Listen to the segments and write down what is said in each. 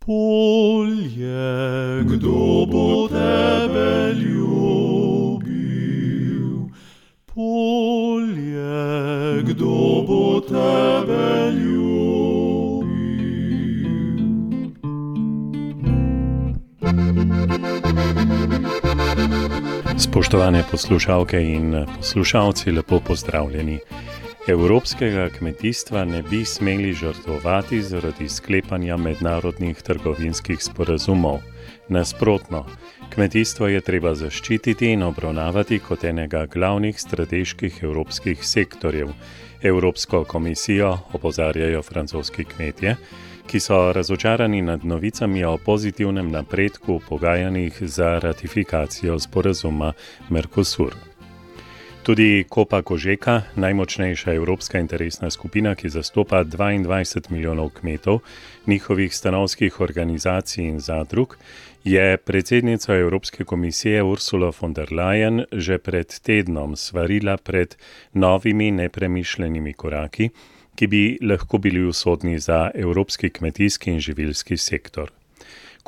Polje, kdo bo tebe ljubil? Polje, kdo bo tebe ljubil? Spoštovane poslušalke in poslušalci, lepo pozdravljeni. Evropskega kmetijstva ne bi smeli žrtvovati zaradi sklepanja mednarodnih trgovinskih sporazumov. Nasprotno, kmetijstvo je treba zaščititi in obravnavati kot enega glavnih strateških evropskih sektorjev. Evropsko komisijo opozarjajo francoski kmetje, ki so razočarani nad novicami o pozitivnem napredku v pogajanjih za ratifikacijo sporazuma Mercosur. Tudi Copa Cogeca, najmočnejša evropska interesna skupina, ki zastopa 22 milijonov kmetov, njihovih stanovskih organizacij in zadrug, je predsednica Evropske komisije Ursula von der Leyen že pred tednom svarila pred novimi nepremišljenimi koraki, ki bi lahko bili usodni za evropski kmetijski in živilski sektor.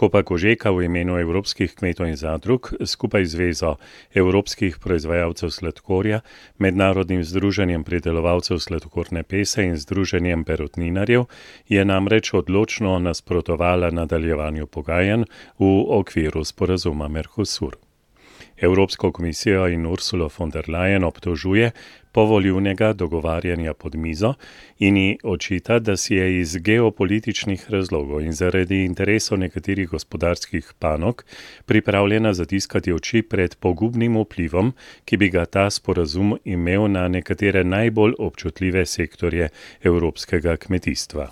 Copa Cogeca v imenu evropskih kmetov in zadrug skupaj z Zvezo evropskih proizvajalcev sladkorja, Mednarodnim združenjem pridelovalcev sladkorne pese in Združenjem perutninarjev je namreč odločno nasprotovala nadaljevanju pogajanj v okviru sporazuma Mercosur. Evropsko komisijo in Ursulo von der Leyen obtožuje povoljivnega dogovarjanja pod mizo in ji očita, da si je iz geopolitičnih razlogov in zaradi interesov nekaterih gospodarskih panog pripravljena zatiskati oči pred pogubnim vplivom, ki bi ga ta sporazum imel na nekatere najbolj občutljive sektorje evropskega kmetijstva.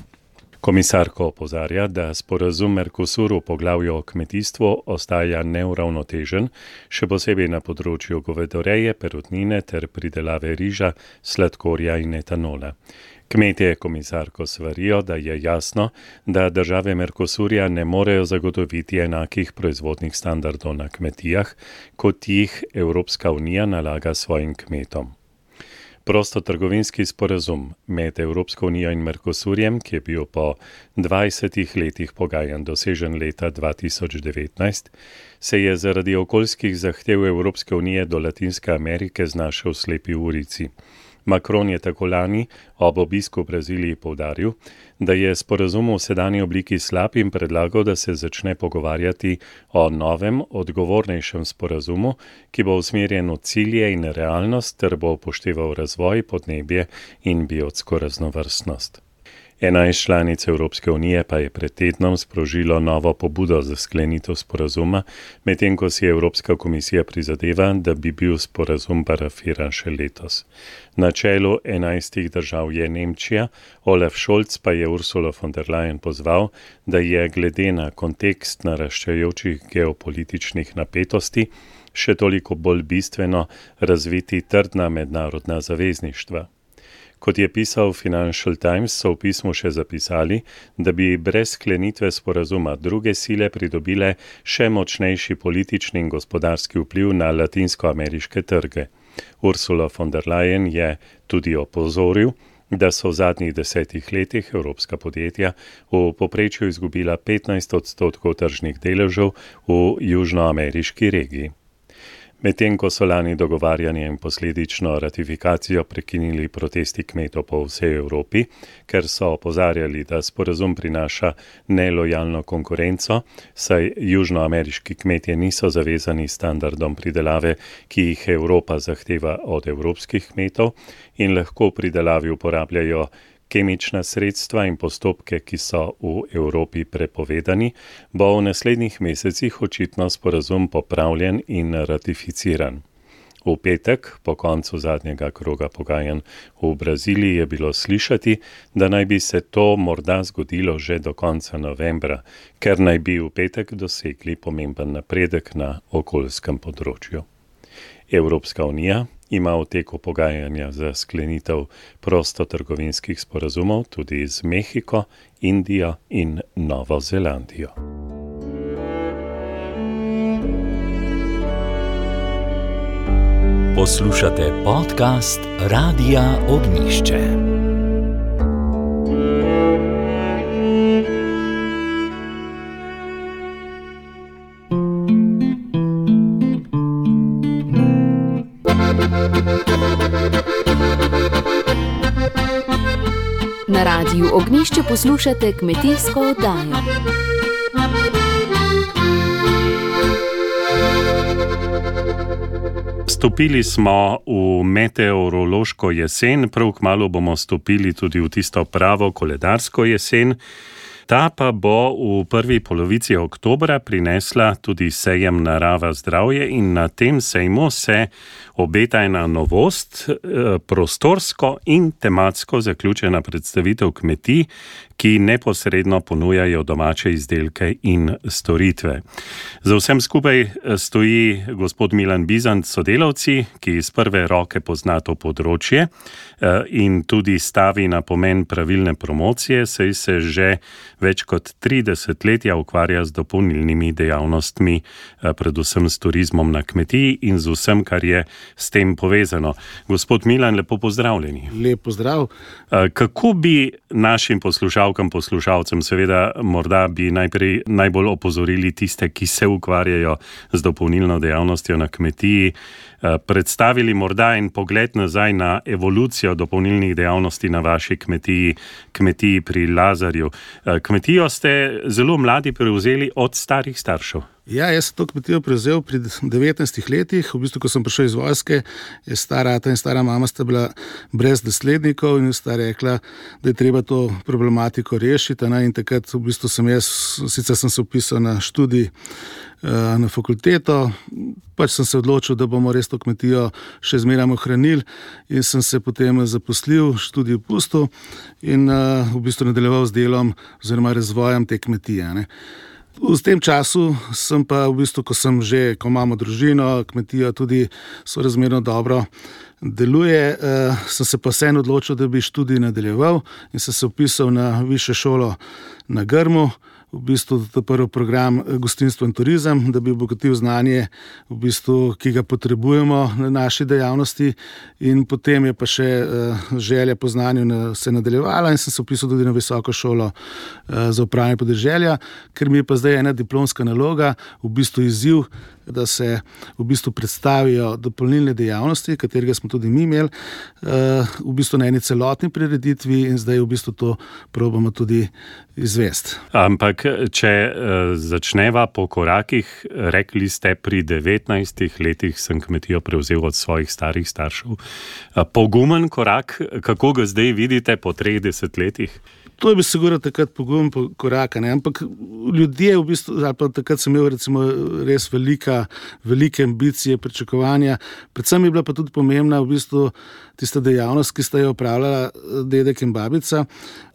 Komisarka opozarja, da sporazum Mercosur v poglavju o kmetijstvu ostaja neuravnotežen, še posebej na področju govedoreje, perutnine ter pridelave riža, sladkorja in etanola. Kmetje komisarko svarijo, da je jasno, da države Mercosurja ne morejo zagotoviti enakih proizvodnih standardov na kmetijah, kot jih Evropska unija nalaga svojim kmetom. Prostotrgovinski sporazum med Evropsko unijo in Mercosurjem, ki je bil po 20 letih pogajanj dosežen leta 2019, se je zaradi okoljskih zahtev Evropske unije do Latinske Amerike znašel v slepi ulici. Macron je tako lani ob obisku v Braziliji poudaril, da je sporazum v sedanji obliki slab in predlagal, da se začne pogovarjati o novem, odgovornejšem sporazumu, ki bo usmerjen v cilje in realnost ter bo upošteval razvoj, podnebje in biotsko raznovrstnost. 11 članic Evropske unije pa je pred tednom sprožilo novo pobudo za sklenitev sporazuma, medtem ko si Evropska komisija prizadeva, da bi bil sporazum parafiran še letos. Na čelu 11 držav je Nemčija, Olaf Scholz pa je Ursulo von der Leyen pozval, da je glede na kontekst naraščajočih geopolitičnih napetosti še toliko bolj bistveno razviti trdna mednarodna zavezništva. Kot je pisal Financial Times, so v pismu še zapisali, da bi brez sklenitve sporazuma druge sile pridobile še močnejši politični in gospodarski vpliv na latinskoameriške trge. Ursula von der Leyen je tudi opozoril, da so v zadnjih 10 letih evropska podjetja v povprečju izgubila 15% tržnih deležev v južnoameriški regiji. Medtem ko so lani dogovarjanje in posledično ratifikacijo prekinili protesti kmetov po vsej Evropi, ker so opozarjali, da sporazum prinaša nelojalno konkurenco, saj južnoameriški kmetje niso zavezani standardom pridelave, ki jih Evropa zahteva od evropskih kmetov in lahko v pridelavi uporabljajo kemična sredstva in postopke, ki so v Evropi prepovedani, bo v naslednjih mesecih očitno sporazum popravljen in ratificiran. V petek, po koncu zadnjega kroga pogajanj v Braziliji, je bilo slišati, da naj bi se to morda zgodilo že do konca novembra, ker naj bi v petek dosegli pomemben napredek na okoljskem področju. Evropska unija ima v teku pogajanja za sklenitev prostotrgovinskih sporazumov tudi z Mehiko, Indijo in Novo Zelandijo. Poslušate podcast Radia Ognjišče. Na Radiu Ognjišče poslušate kmetijsko oddajo. Stopili smo v meteorološko jesen, prav kmalu bomo stopili tudi v tisto pravo koledarsko jesen. Ta pa bo v prvi polovici oktobra prinesla tudi sejem Narava zdravje in na tem sejmu se obeta ena novost, prostorsko in tematsko zaključena predstavitev kmetij, ki neposredno ponujajo domače izdelke in storitve. Za vsem skupaj stoji gospod Milan Bizant s sodelavci, ki iz prve roke pozna to področje in tudi stavi na pomen pravilne promocije, saj se že več kot 30 letja ukvarja z dopolnilnimi dejavnostmi, predvsem s turizmom na kmetiji in z vsem, kar je s tem povezano. Gospod Milan, lepo pozdravljeni. Lep pozdrav. Kako bi našim poslušalcem, seveda morda bi najbolj opozorili tiste, ki se ukvarjajo z dopolnilno dejavnostjo na kmetiji, predstavili morda en pogled nazaj na evolucijo dopolnilnih dejavnosti na vaši kmetiji pri Lazarju. Kmetijo ste zelo mladi prevzeli od starih staršev. Ja, jaz sem to kmetijo prevzel pri 19 letih, v bistvu, ko sem prišel iz vojske, je stara ata in stara mama sta bila brez naslednikov in sta rekla, da je treba to problematiko rešiti. In takrat v bistvu sicer sem se vpisal na študij na fakulteto, pač sem se odločil, da bomo res to kmetijo še zmeraj ohranili in sem se potem zaposlil, študij pustil in v bistvu nadaljeval z delom oziroma razvojem te kmetije. V tem času sem pa v bistvu, ko imamo družino, kmetija tudi sorazmerno dobro deluje, sem se pa vseeno odločil, da bi študij nadaljeval in sem se vpisal na višjo šolo na Grmu, v bistvu to prvi program gostinstvo in turizem, da bi obogatil znanje, v bistvu, ki ga potrebujemo na naši dejavnosti, in potem je pa še želja po znanju se nadaljevala in sem se vpisal tudi na visoko šolo za upravljanje podeželja, ker mi je pa zdaj ena diplomska naloga, v bistvu izziv, da se v bistvu predstavijo dopolnilne dejavnosti, katerega smo tudi mi imeli, v bistvu na eni celotni prireditvi in zdaj v bistvu to probamo tudi izvesti. Ampak, če začneva po korakih, rekli ste, pri 19 letih sem kmetijo prevzel od svojih starih staršev. Pogumen korak, kako ga zdaj vidite po 30 letih? To je bi sigurno takrat pogumen korak, ampak ljudje v bistvu, ali pa takrat sem imel recimo res velike ambicije, pričakovanja. Predvsem je bila pa tudi pomembna v bistvu tista dejavnost, ki sta jo opravljala dedek in babica.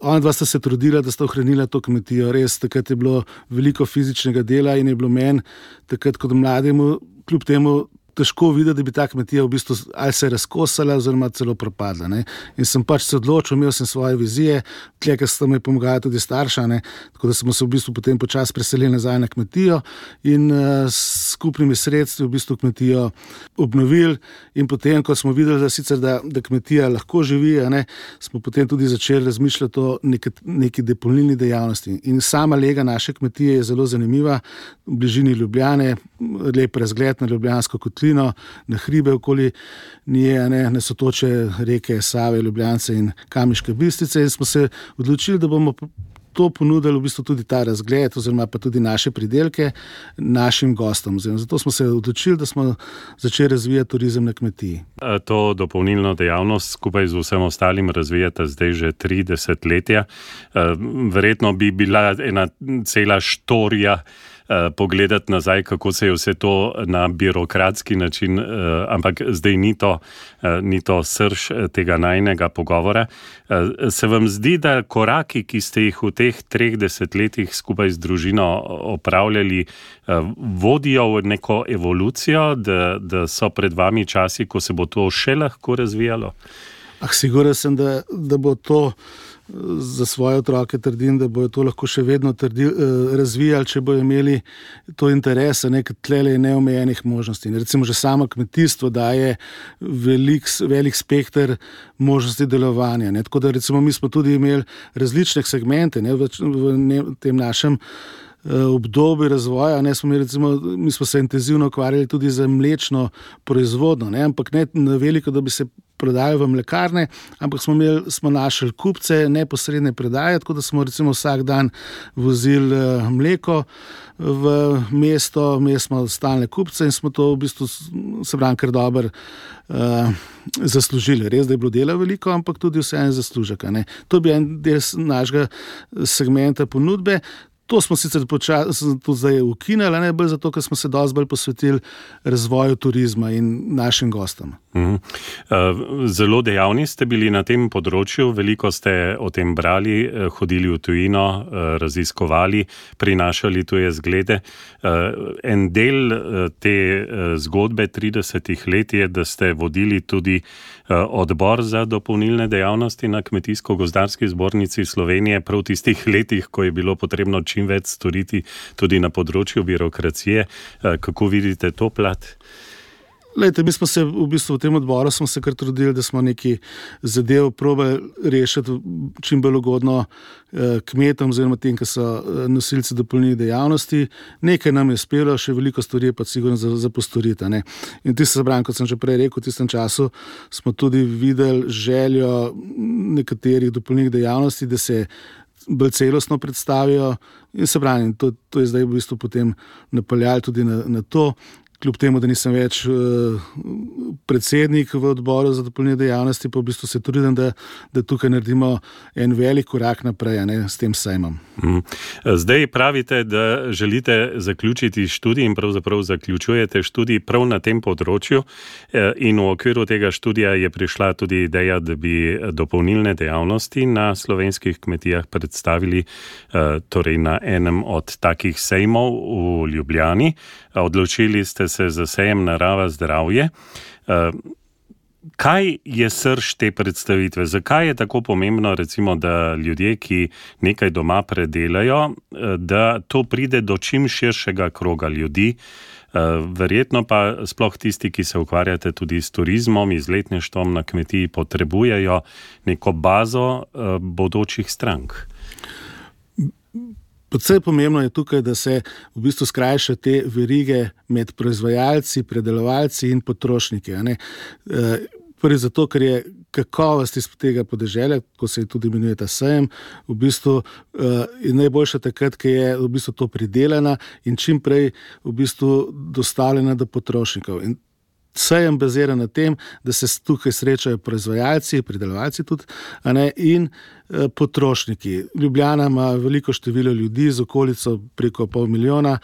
Ona dva sta se trudila, da sta ohranila to kmetijo. Res, takrat je bilo veliko fizičnega dela in je bilo meni takrat kot mlademu, kljub temu, težko videti, da bi ta kmetija v bistvu ali se razkosala oziroma celo propadla. In sem pač se odločil, imel sem svoje vizije, tle, ker sta mi pomagala tudi starša, tako da smo se v bistvu potem počasi preselili nazaj na kmetijo in s skupnimi sredstvi v bistvu kmetijo obnovili in potem, ko smo videli, da kmetija lahko živi, smo potem tudi začeli razmišljati o neki dopolnilni dejavnosti. In sama lega naše kmetije je zelo zanimiva, v bližini Ljubljane, lep razgled na Ljubljansko kotlino, na hribe okoli nje, na sotoče reke Save, Ljubljance in Kamniške Bistrice, in smo se odločili, da bomo to ponudili v bistvu tudi ta razgled oziroma pa tudi naše pridelke našim gostom. Zato smo se odločili, da smo začeli razvijati turizem na kmetiji. To dopolnilno dejavnost skupaj z vsem ostalim razvijate zdaj že 30 letja. Verjetno bi bila ena cela štorija pogledati nazaj, kako se je vse to na birokratski način, ampak zdaj ni to srž tega najinega pogovora. Se vam zdi, da koraki, ki ste jih v teh 30 letih skupaj z družino opravljali, vodijo v neko evolucijo, da so pred vami časi, ko se bo to še lahko razvijalo? Siguren sem, da bo to za svoje otroke, trdim, da bojo to lahko še vedno razvijali, če bojo imeli to interesa, ker tlele je neomejenih možnosti. Recimo že samo kmetijstvo daje velik spekter možnosti delovanja. Tako da recimo mi smo tudi imeli različne segmente v tem našem obdobje razvoja. Mi smo se intenzivno ukvarjali tudi z mlečno proizvodnjo, ampak ne na veliko, da bi se prodajali v mlekarne, ampak smo našli kupce neposredne predaje, tako da smo recimo vsak dan vozili mleko v mesto, imeli smo stalne kupce in smo to v bistvu kar dobro zaslužili. Res, da je bilo dela veliko, ampak tudi vseeno zaslužek. To bi en del našega segmenta ponudbe. To smo sicer tudi zdaj ukinili, ne bolj zato, ker smo se dosti bolj posvetili razvoju turizma in našim gostom. Zelo dejavni ste bili na tem področju, veliko ste o tem brali, hodili v tujino, raziskovali, prinašali tuje zglede. En del te zgodbe 30 let je, da ste vodili tudi odbor za dopolnilne dejavnosti na Kmetijsko-gozdarski zbornici Slovenije, prav v tistih letih, ko je bilo potrebno čim več storiti tudi na področju birokracije. Kako vidite to plat? Lejte, mi smo se v bistvu v tem odboru kar trudili, da smo neki zadev probali rešiti čim bolj ugodno kmetom oziroma tem, ki so nosilci dopolnilnih dejavnosti. Nekaj nam je uspelo, še veliko stvari je pa sigurno za postoriti. In kot sem že prej rekel, v tistem času smo tudi videli željo nekaterih dopolnilnih dejavnosti, da se bolj celostno predstavijo in to je zdaj v bistvu potem napeljalo tudi na to. Kljub temu, da nisem več predsednik v odboru za dopolnilne dejavnosti, pa v bistvu se trudim, da tukaj naredimo en velik korak naprej s tem sejmom. Zdaj pravite, da želite zaključiti študij in pravzaprav zaključujete študij prav na tem področju in v okviru tega študija je prišla tudi ideja, da bi dopolnilne dejavnosti na slovenskih kmetijah predstavili torej na enem od takih sejmov v Ljubljani. Odločili ste se za sejem Narava zdravje. Kaj je srž te predstavitve? Zakaj je tako pomembno, recimo, da ljudje, ki nekaj doma predelajo, da to pride do čim širšega kroga ljudi? Verjetno pa sploh tisti, ki se ukvarjate tudi s turizmom, izletništvom na kmetiji, potrebujejo neko bazo bodočih strank. Predvsem pomembno je tukaj, da se v bistvu skrajša te verige med proizvajalci, predelovalci in potrošniki. Prvi zato, ker je kakovost iz tega podeželja, ko se tudi imenuje ta sejem, v bistvu je najboljša takrat, ki je v bistvu to pridelana in čim prej v bistvu dostavljena do potrošnikov. In sejem bazira na tem, da se tukaj srečajo proizvajalci, pridelovalci tudi, in potrošniki. Ljubljana ima veliko število ljudi z okolico preko 500 milijona,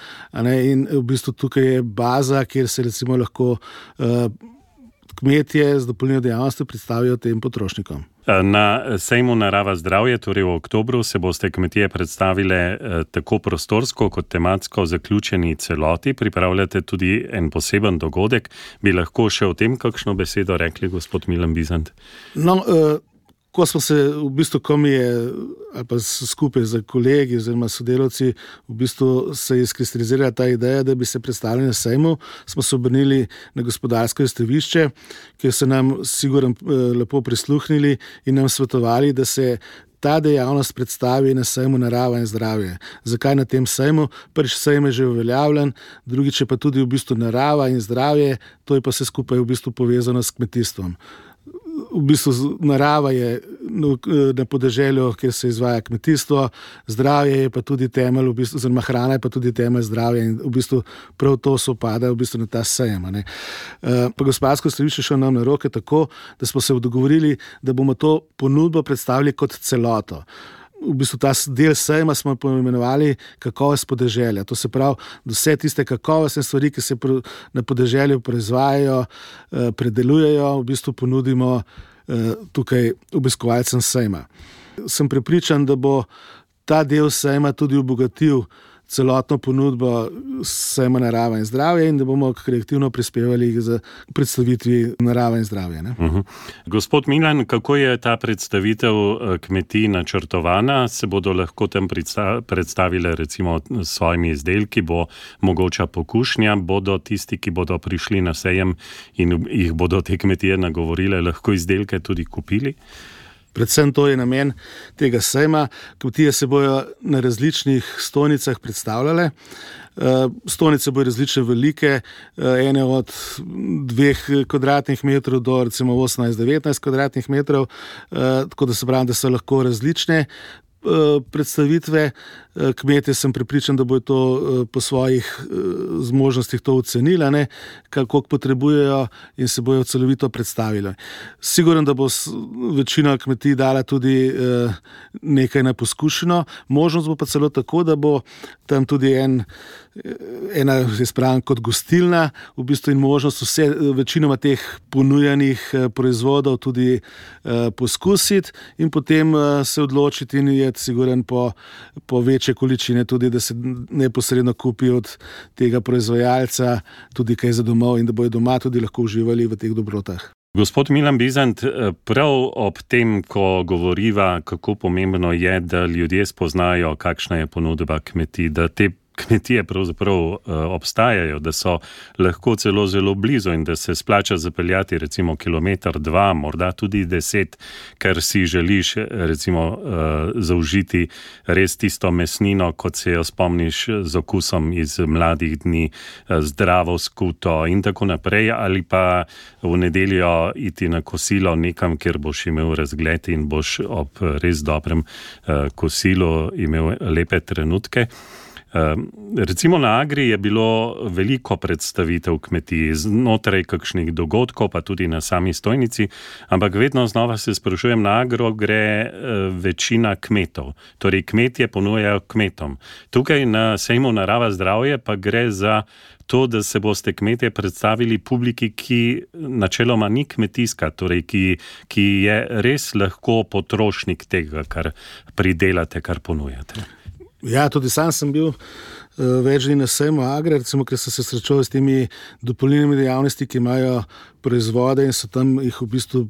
in v bistvu tukaj je baza, kjer se recimo lahko kmetje z dopolnilno dejavnostjo predstavijo tem potrošnikom. Na sejmu Narava zdravje, torej v oktobru, se boste kmetije predstavile tako prostorsko kot tematsko zaključeni celoti. Pripravljate tudi en poseben dogodek. Bi lahko še o tem kakšno besedo rekli, gospod Milan Bizant? Ko smo se ko mi je, ali pa skupaj z kolegi oziroma sodelavci, v bistvu se je izkristalizirala ta ideja, da bi se predstavili na sejmu, smo se obrnili na gospodarsko izstavišče, kjer so nam sigurno lepo prisluhnili in nam svetovali, da se ta dejavnost predstavi na sejmu Narava in zdravje. Zakaj na tem sejmu? Prvič sejem je že uveljavljen, drugič je pa tudi v bistvu narava in zdravje, to je pa vse skupaj v bistvu povezano s kmetijstvom. V bistvu narava je na podeželju, kjer se izvaja kmetijstvo, zdravje je pa tudi temelj, oziroma hrana je pa tudi temelj zdravja in v bistvu prav to sopada v bistvu na ta sejem. Pa gospodarsko izstavišče šlo nam na roke tako, da smo se dogovorili, da bomo to ponudbo predstavili kot celoto. V bistvu ta del sejma smo poimenovali kakovost podeželja. To se pravi, da vse tiste kakovostne stvari, ki se na podeželju proizvajajo, predelujejo, v bistvu ponudimo tukaj obiskovalcem sejma. Sem prepričan, da bo ta del sejma tudi obogatil celotno ponudbo sejma Narava in zdravje in da bomo kreativno prispevali za predstavitvi Narava in zdravje. Gospod Milan, kako je ta predstavitev kmetij načrtovana? Se bodo lahko tam predstavile recimo s svojimi izdelki, bo mogoča pokušnja, bodo tisti, ki bodo prišli na sejem in jih bodo te kmetije nagovorile, lahko izdelke tudi kupili? Predvsem to je namen tega sejma. Kmetije se bojo na različnih stojnicah predstavljale. Stojnice bojo različne velike, ene od 2 kvadratnih metrov do recimo 18-19 kvadratnih metrov, tako da se pravi, da so lahko različne predstavitve. Kmetje sem prepričan, da bojo to po svojih zmožnostih to ocenili, kako potrebujejo in se bojo celovito predstavili. Siguren, da bo večina kmetij dala tudi nekaj na poskušino, možnost bo pa celo tako, da bo tam tudi ena, jaz pravim, kot gostilna, v bistvu in možnost večinoma teh ponujanih proizvodov tudi poskusiti in potem se odločiti in je siguren po večje količine tudi, da se neposredno kupi od tega proizvajalca tudi kaj za domov in da bojo doma tudi lahko uživali v teh dobrotah. Gospod Milan Bizant, prav ob tem, ko govoriva, kako pomembno je, da ljudje spoznajo, kakšna je ponudba kmetij, da te kmetije pravzaprav obstajajo, da so lahko celo zelo blizu in da se splača zapeljati recimo 1-2, morda tudi 10, ker si želiš recimo zaužiti res tisto mesnino, kot se jo spomniš z okusom iz mladih dni, zdravo skuto in tako naprej, ali pa v nedeljo iti na kosilo nekam, kjer boš imel razgled in boš ob res dobrem kosilu imel lepe trenutke. Recimo na Agri je bilo veliko predstavitev kmetij znotraj kakšnih dogodkov, pa tudi na sami stojnici, ampak vedno znova se sprašujem, na Agro gre večina kmetov, torej kmetje ponujajo kmetom. Tukaj na sejmu Narava zdravje pa gre za to, da se boste kmetje predstavili publiki, ki načeloma ni kmetijska, torej ki je res lahko potrošnik tega, kar pridelate, kar ponujate. Ja, tudi sam sem bil več dni na sejmu Agri, recimo, ker sem se srečal s temi dopolnilnimi dejavnosti, ki imajo proizvode in so tam jih v bistvu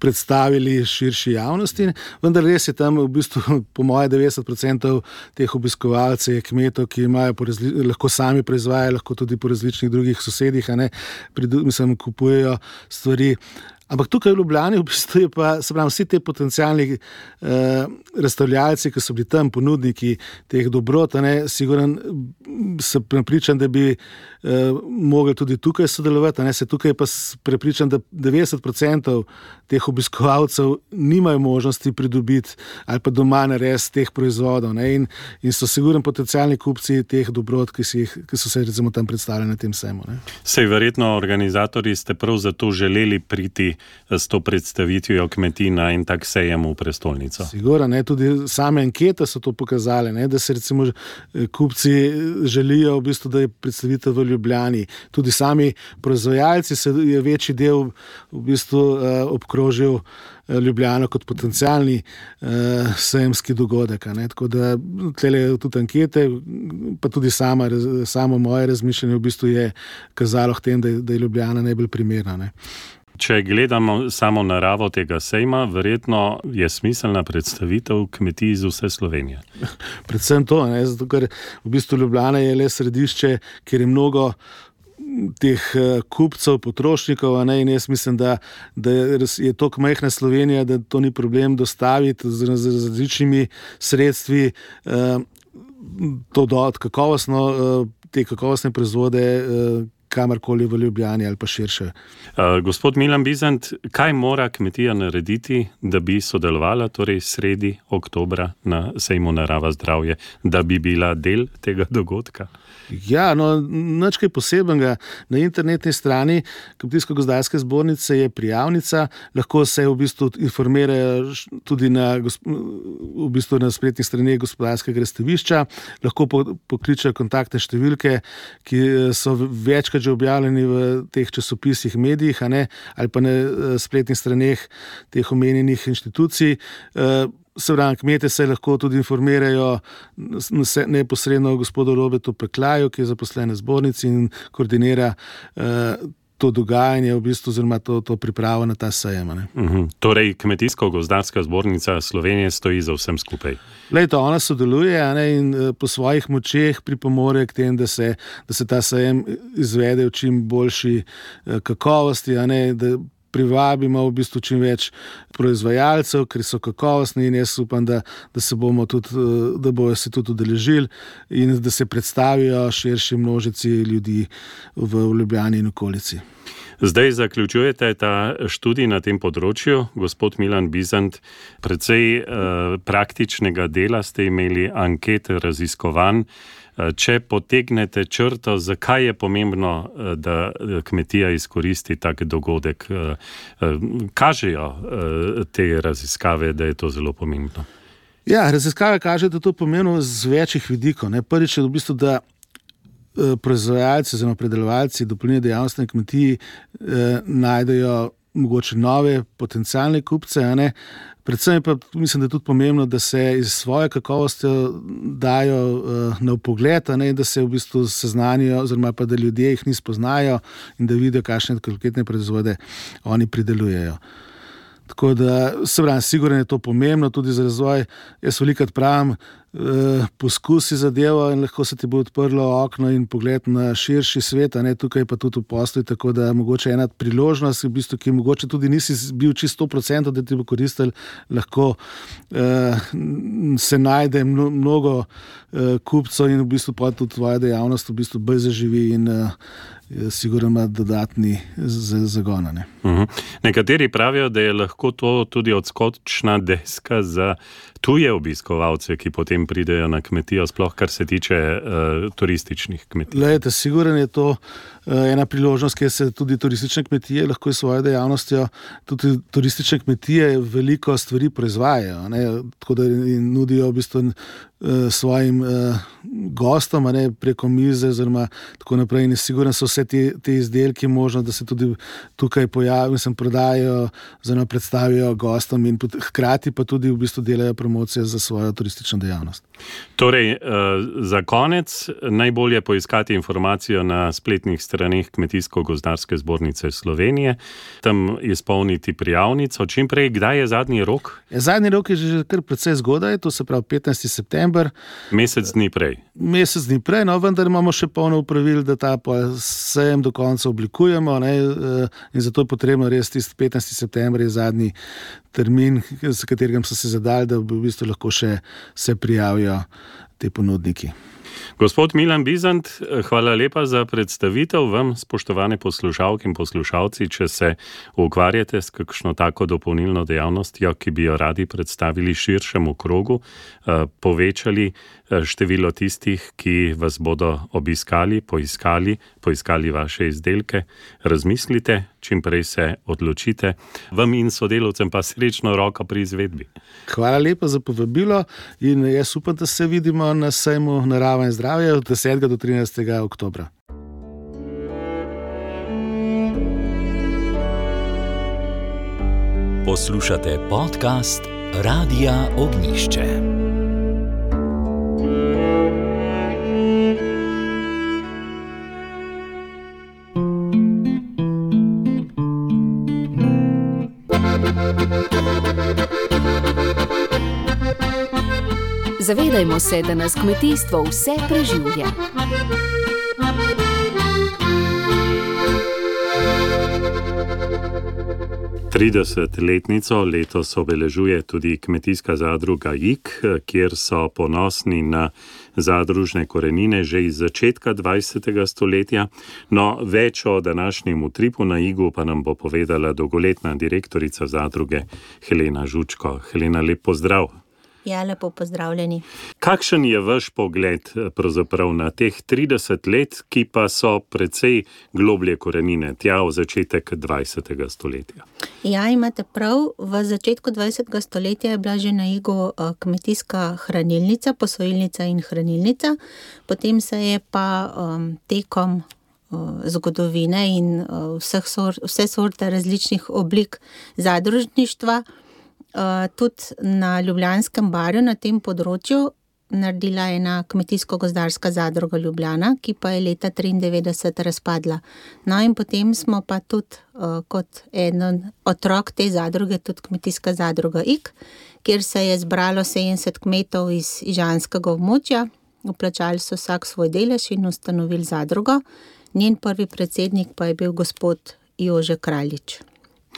predstavili širši javnosti, vendar res je tam v bistvu po moje 90% teh obiskovalcev je kmetov, ki imajo lahko sami proizvajajo, lahko tudi po različnih drugih sosedih, kupujejo stvari. Ampak tukaj v Ljubljani v bistvu je pa, se pravi, vsi te potencialni razstavljalci, ki so bili tam ponudniki teh dobrot, siguren sem prepričan, da bi mogli tudi tukaj sodelovati, se tukaj pa prepričan, da 90% teh obiskovalcev nimajo možnosti pridobiti ali pa doma narediti teh proizvodov, in so siguren potencialni kupci teh dobrot, ki so se recimo tam predstavljali na tem sejmu. Sej verjetno organizatorji ste prav zato želeli priti s to predstavitvijo kmetij na en tak sejem v prestolnico. Sigurno, tudi same ankete so to pokazale, da se recimo kupci želijo v bistvu, da je predstavitev v Ljubljani. Tudi sami proizvajalci je večji del v bistvu obkrožil Ljubljano kot potencialni sejemski dogodek. Tako da tlele tudi ankete, pa tudi samo moje razmišljanje v bistvu je kazalo k tem, da je Ljubljana najbolj primerna. Če gledamo samo naravo tega sejma, verjetno je smiselna predstavitev kmetij iz vse Slovenije. Predvsem to, zato ker v bistvu Ljubljana je le središče, kjer je mnogo teh kupcev, potrošnikov, in jaz mislim, da je toliko majhna Slovenija, da to ni problem dostaviti z različnimi sredstvi te kakovostne proizvode kamorkoli v Ljubljani ali pa širše. Gospod Milan Bizant, kaj mora kmetija narediti, da bi sodelovala torej sredi oktobra na sejmu Narava zdravje, da bi bila del tega dogodka? Ja, nič kaj posebnega. Na internetni strani Kmetijsko-gozdarske zbornice je prijavnica, lahko se v bistvu informirajo tudi na spletnih straneh gospodarskega razstavišča, lahko pokličejo kontaktne številke, ki so večkrat že objavljeni v teh časopisih, medijih, ali pa na spletnih straneh teh omenjenih inštitucij. Se pravi, kmete se lahko tudi informirajo neposredno gospodu Robertu Peklaju, ki je zaposlen v zbornici in koordinira to dogajanje, v bistvu, oziroma to pripravo na ta sejem. Torej, Kmetijsko-gozdarska zbornica Slovenije stoji za vsem skupaj. Ona sodeluje in po svojih močeh pripomore k tem, da se ta sejem izvede v čim boljši kakovosti, da privabimo v bistvu čim več proizvajalcev, ker so kakovostni in jaz upam, da bojo se tudi udeležili in da se predstavijo širši množici ljudi v Ljubljani in okolici. Zdaj zaključujete ta študij na tem področju, gospod Milan Bizant. Precej praktičnega dela ste imeli, ankete, raziskovanj. Če potegnete črto, zakaj je pomembno, da kmetija izkoristi tak dogodek? Kažejo te raziskave, da je to zelo pomembno? Ja, raziskave kažejo, da je to pomembno z večjih vidikov. Prvič je v bistvu, da proizvajalci oziroma predelovalci dopolnilne dejavnosti na kmetiji najdejo mogoče nove potencialne kupce, Predvsem pa mislim, da je tudi pomembno, da se iz svoje kakovosti dajo na vpogled, da se v bistvu seznanijo, oziroma pa da ljudje jih ni spoznajo in da vidijo, kakšne kvalitetne proizvode oni pridelujejo. Tako da, sigurno je to pomembno tudi za razvoj. Jaz velikokrat pravim, poskusi zadevo in lahko se ti bo odprlo okno in pogled na širši svet, tukaj pa tudi v poslu, tako da mogoče ena priložnost, v bistvu, ki mogoče tudi nisi bil čisto 100%, da ti bo koristil, lahko se najde mnogo kupcev in v bistvu pa tudi tvoja dejavnost v bistvu bolj zaživi in sigurno ima dodatni zagon. Nekateri pravijo, da je lahko to tudi odskočna deska za tuje obiskovalce, ki potem pridejo na kmetijo, sploh kar se tiče turističnih kmetij. Glejte, sigurno je to ena priložnost, kjer se tudi turistične kmetije lahko s svojo dejavnostjo, tudi turistične kmetije veliko stvari proizvajajo, tako da nudijo v bistvu svojim gostom, preko mize oziroma tako naprej. In sigurno so vse te izdelki možno, da se tudi tukaj pojavijo, prodajajo, oziroma predstavijo gostom in hkrati pa tudi v bistvu delajo promocijo za svojo turistično dejavnost. Torej, za konec najbolje poiskati informacijo na spletnih straneh Kmetijsko-gozdarske zbornice Slovenije, tam izpolniti prijavnico. Čim prej, kdaj je zadnji rok? Zadnji rok je že kar precej zgodaj, to se pravi 15. september. Mesec dni prej. Mesec dni prej, vendar imamo še polno upravil, da ta sejem do konca oblikujemo, in zato je potrebno res tisti 15. september je zadnji termin, s katerim so se zadali, da v bistvu lahko še se prijavijo te ponudniki. Gospod Milan Bizant, hvala lepa za predstavitev. Vam, spoštovane poslušalke in poslušalci, če se ukvarjate s kakšno tako dopolnilno dejavnostjo, ki bi jo radi predstavili širšemu krogu, povečali število tistih, ki vas bodo obiskali, poiskali vaše izdelke, razmislite, čim prej se odločite. Vam in sodelavcem pa srečno roko pri izvedbi. Hvala lepa za povabilo in jaz upam, da se vidimo na sejmu Narava in zdravje od 10. do 13. oktobra. Poslušate podcast Radia Ognišče. Zavedajmo se, da nas kmetijstvo vse preživlja. Tridesetletnico letos obeležuje tudi kmetijska zadruga Ig, kjer so ponosni na zadružne korenine že iz začetka 20. stoletja. No, več o današnjem utripu na Igu pa nam bo povedala dolgoletna direktorica zadruge Helena Žučko. Helena, lep pozdrav. Ja, lepo pozdravljeni. Kakšen je vaš pogled pravzaprav na teh 30 let, ki pa so precej globlje korenine, tja v začetek 20. stoletja? Ja, imate prav. V začetku 20. stoletja je bila že na Igu kmetijska hranilnica, posojilnica in hranilnica. Potem se je pa tekom zgodovine in vse sorte različnih oblik zadružništva tudi na Ljubljanskem barju na tem področju naredila ena Kmetijsko-gozdarska zadruga Ljubljana, ki pa je leta 1993 razpadla. No in potem smo pa tudi kot eden otrok te zadruge tudi Kmetijska zadruga Ig, kjer se je zbralo 70 kmetov iz ižanskega območja, vplačali so vsak svoj delež in ustanovili zadrugo. Njen prvi predsednik pa je bil gospod Jože Kraljič.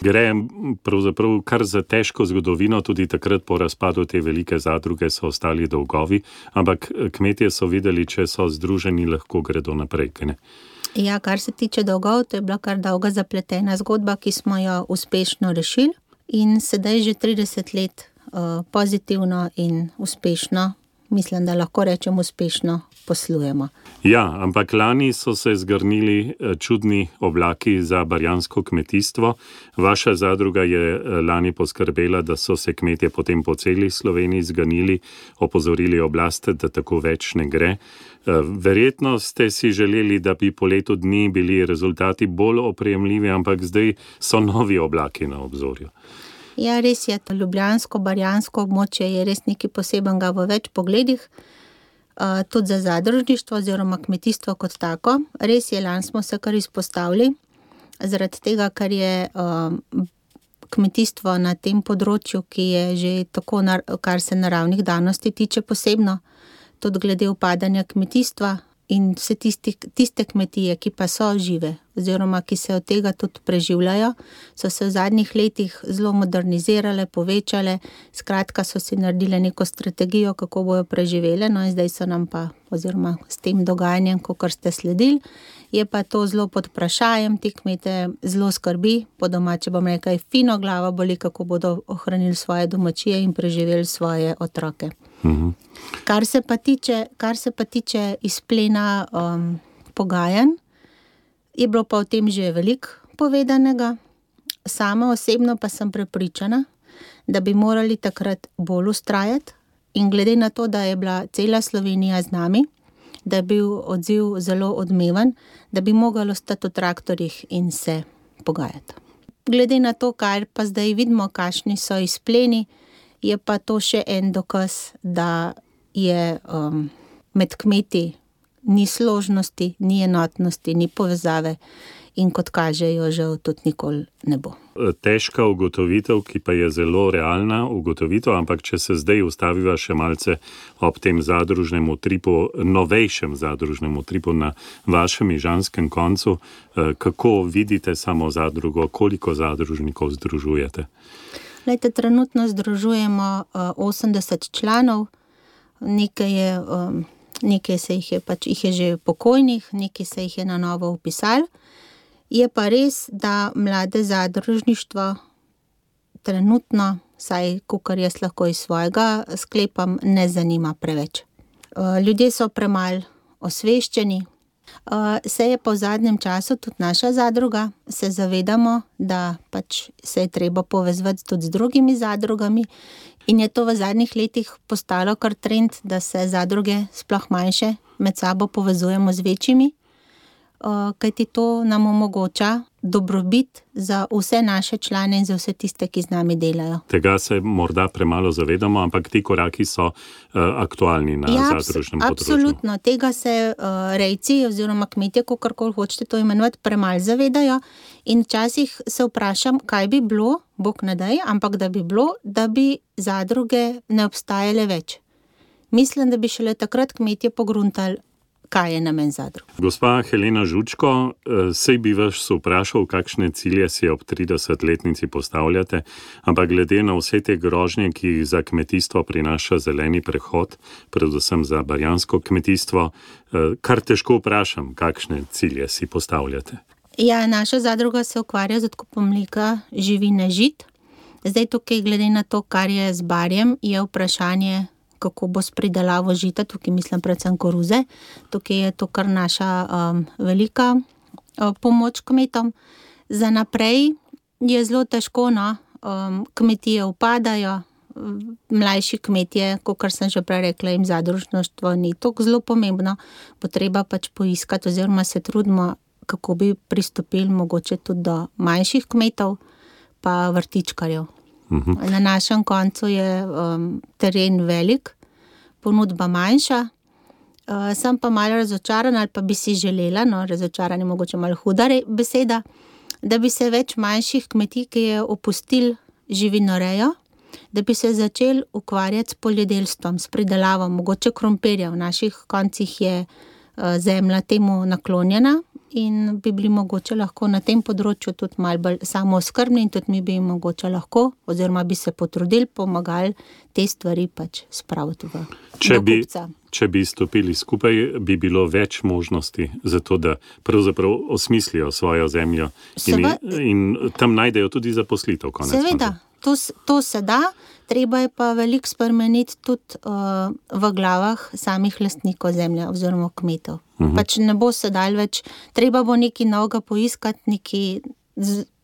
Gre pravzaprav kar za težko zgodovino, tudi takrat po razpadu te velike zadruge so ostali dolgovi, ampak kmetje so videli, če so združeni, lahko gredo naprej, kaj ne? Ja, kar se tiče dolgov, to je bila kar dolga zapletena zgodba, ki smo jo uspešno rešili in sedaj že 30 let pozitivno in uspešno, mislim, da lahko rečem uspešno poslujemo. Ja, ampak lani so se zgrnili čudni oblaki za barjansko kmetijstvo. Vaša zadruga je lani poskrbela, da so se kmetje potem po celi Sloveniji zganili, opozorili oblast, da tako več ne gre. Verjetno ste si želeli, da bi po letu dni bili rezultati bolj oprijemljivi, ampak zdaj so novi oblaki na obzorju. Ja, res je, to ljubljansko-barjansko območje je res nekaj posebenega v več pogledih, tudi za zadružništvo oziroma kmetijstvo kot tako. Res je, lani smo se kar izpostavili, zaradi tega, ker je kmetijstvo na tem področju, ki je že tako, kar se naravnih danosti tiče posebno, tudi glede upadanja kmetijstva in vse tiste kmetije, ki pa so žive oziroma ki se od tega tudi preživljajo, so se v zadnjih letih zelo modernizirale, povečale, skratka so si naredile neko strategijo, kako bojo preživele, no in zdaj so nam pa, oziroma s tem dogajanjem, kakor ste sledili, je pa to zelo pod vprašajem, ti kmete zelo skrbi, po domače bom rekla, fino glava boli, kako bodo ohranili svoje domačije in preživeli svoje otroke. Kar se pa tiče izplena pogajanj, je bilo pa o tem že veliko povedanega. Sama osebno pa sem prepričana, da bi morali takrat bolj vztrajati in glede na to, da je bila cela Slovenija z nami, da je bil odziv zelo odmeven, da bi mogli ostati v traktorjih in se pogajati. Glede na to, kar pa zdaj vidimo, kakšni so izpleni, je pa to še en dokaz, da je med kmeti ni složnosti, ni enotnosti, ni povezave in kot kažejo, žal tudi nikoli ne bo. Težka ugotovitev, ki pa je zelo realna ugotovitev, ampak če se zdaj ustaviva še malce ob tem zadružnem utripu, novejšem zadružnem utripu na vašem ižanskem koncu, kako vidite samo zadrugo, koliko zadružnikov združujete? Glejte, trenutno združujemo 80 članov, nekaj se jih je že pokojnih, nekaj se jih je na novo vpisali. Je pa res, da mlade zadružništvo trenutno, saj kakor jaz lahko iz svojega sklepam, ne zanima preveč. Ljudje so premalo osveščeni. Se je pa v zadnjem času tudi naša zadruga, se zavedamo, da pač se je treba povezati tudi z drugimi zadrugami in je to v zadnjih letih postalo kar trend, da se zadruge, sploh manjše, med sabo povezujemo z večjimi, kajti to nam omogoča dobrobit za vse naše člane in za vse tiste, ki z nami delajo. Tega se morda premalo zavedamo, ampak ti koraki so aktualni na zadružnem področju. Absolutno, tega se rejci oziroma kmetje, kakorkoli hočete to imenovati, premalo zavedajo in včasih se vprašam, kaj bi bilo, Bog ne daj, ampak da bi bilo, da bi zadruge ne obstajale več. Mislim, da bi šele takrat kmetje pogruntali, kaj je namen zadrug. Gospa Helena Žučko, sej bi vas vprašal, kakšne cilje si ob 30-letnici postavljate, ampak glede na vse te grožnje, ki jih za kmetijstvo prinaša zeleni prehod, predvsem za barjansko kmetijstvo, kar težko vprašam, kakšne cilje si postavljate. Ja, naša zadruga se ukvarja z odkupom mleka, živine, žit. Zdaj tukaj, glede na to, kar je z barjem, je vprašanje, kako bo s pridelavo žita, tukaj mislim predvsem koruze. Tukaj je to kar naša velika pomoč kmetom. Za naprej je zelo težko, no, kmetije upadajo, mlajši kmetje, kakor sem že prej rekla, jim zadružništvo ni tako zelo pomembno, bo treba pač poiskati oziroma se trudimo, kako bi pristopili mogoče tudi do manjših kmetov pa vrtičkarjev. Na našem koncu je teren velik, ponudba manjša, sem pa malo razočarana ali pa bi si želela, no razočaran je mogoče malo huda beseda, da bi se več manjših kmetij, ki je opustil živinorejo, da bi se začeli ukvarjati s poljedelstvom, s pridelavom, mogoče krompirja. V naših koncih je zemlja temu naklonjena in bi bili mogoče lahko na tem področju tudi malo bolj samooskrbni in tudi mi bi mogoče lahko, oziroma bi se potrudili, pomagali te stvari pač spraviti do kupca. Če bi stopili skupaj, bi bilo več možnosti za to, da pravzaprav osmislijo svojo zemljo in tam najdejo tudi zaposlitev. Seveda, to se da, treba je pa veliko spremeniti tudi v glavah samih lastnikov zemlje oziroma kmetov. Pač ne bo se dal več, treba bo nekaj novega poiskati,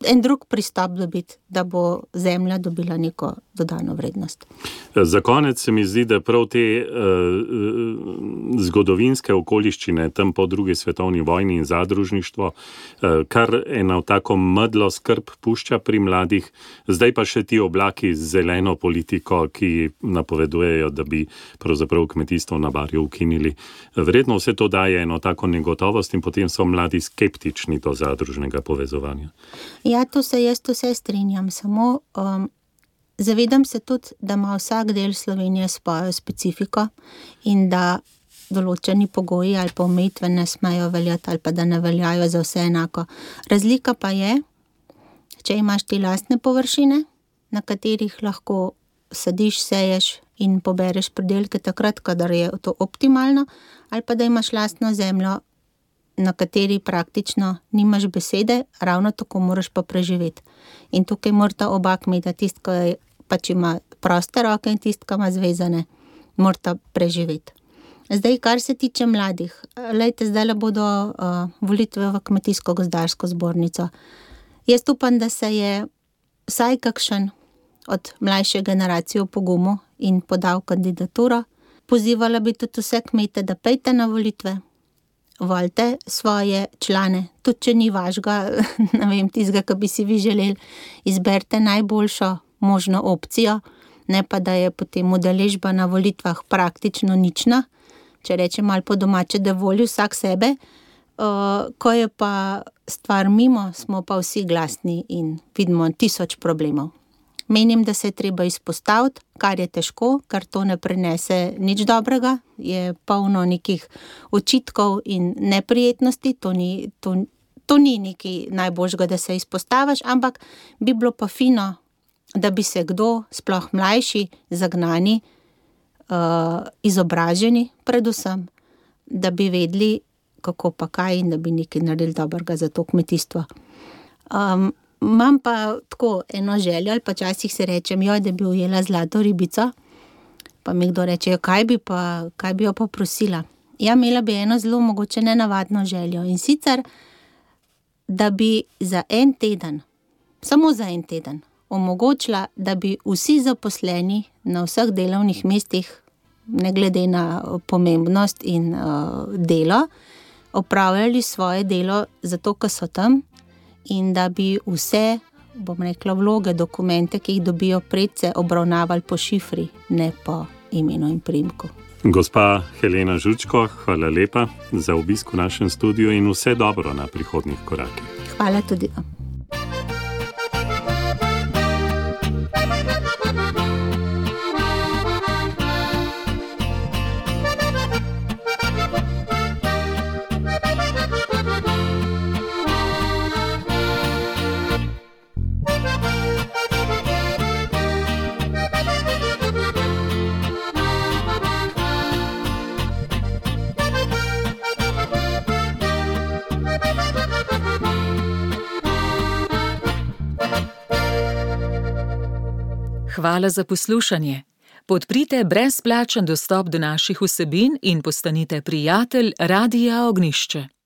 en drug pristop dobiti, da bo zemlja dobila neko dodano vrednost. Za konec se mi zdi, da prav te zgodovinske okoliščine tam po drugi svetovni vojni in zadružništvo, kar eno tako medlo skrb pušča pri mladih, zdaj pa še ti oblaki z zeleno politiko, ki napovedujejo, da bi pravzaprav kmetijstvo na Barju ukinili. Verjetno vse to daje eno tako negotovost in potem so mladi skeptični do zadružnega povezovanja. Ja, to se jaz vse strinjam, samo zavedam se tudi, da ima vsak del Slovenije svojo specifiko in da določeni pogoji ali pa omejitve ne smejo veljati ali pa da ne veljajo za vse enako. Razlika pa je, če imaš ti lastne površine, na katerih lahko sadiš, seješ in pobereš pridelke takrat, kadar je to optimalno, ali pa da imaš lastno zemljo, na kateri praktično nimaš besede, ravno tako moraš pa preživeti. In tukaj morata oba kmeta, tisti, ki pač ima proste roke in tisti, ki ima zvezane, morata preživeti. Zdaj, kar se tiče mladih, lejte, zdaj bodo volitve v Kmetijsko-gozdarsko zbornico. Jaz upam, da se je vsaj kakšen od mlajše generacije pogumil in podal kandidaturo. Pozivala bi tudi vse kmete, da pejte na volitve, volite svoje člane, tudi če ni vašega, ne vem, tistega, ki bi si vi želeli, izberite najboljšo možno opcijo, ne pa da je potem udeležba na volitvah praktično nična, če rečem malo po domače, da voli vsak sebe, ko je pa stvar mimo, smo pa vsi glasni in vidimo 1000 problemov. Menim, da se je treba izpostaviti, kar je težko, ker to ne prinese nič dobrega, je polno nekih očitkov in neprijetnosti, to ni nekaj najboljšega, da se izpostaviš, ampak bi bilo pa fino, da bi se kdo, sploh mlajši, zagnani, izobraženi predvsem, da bi vedeli, kako pa kaj in da bi nekaj naredili dobrega za to kmetijstvo. Imam pa tako eno željo, ali pa časih se rečem, da bi ujela zlato ribico, pa mi kdo reče, kaj bi jo pa prosila. Ja, imela bi eno zelo mogoče nenavadno željo in sicer, da bi za en teden, samo za en teden, omogočila, da bi vsi zaposleni na vseh delovnih mestih, ne glede na pomembnost in delo, opravljali svoje delo zato, ker so tam, in da bi vse, bom rekla, vloge, dokumente, ki jih dobijo predse, obravnavali po šifri, ne po imenu in priimku. Gospa Helena Žučko, hvala lepa za obisk v našem studiu in vse dobro na prihodnjih korakih. Hvala tudi vam. Hvala za poslušanje. Podprite brezplačen dostop do naših vsebin in postanite prijatelj Radia Ognjišče.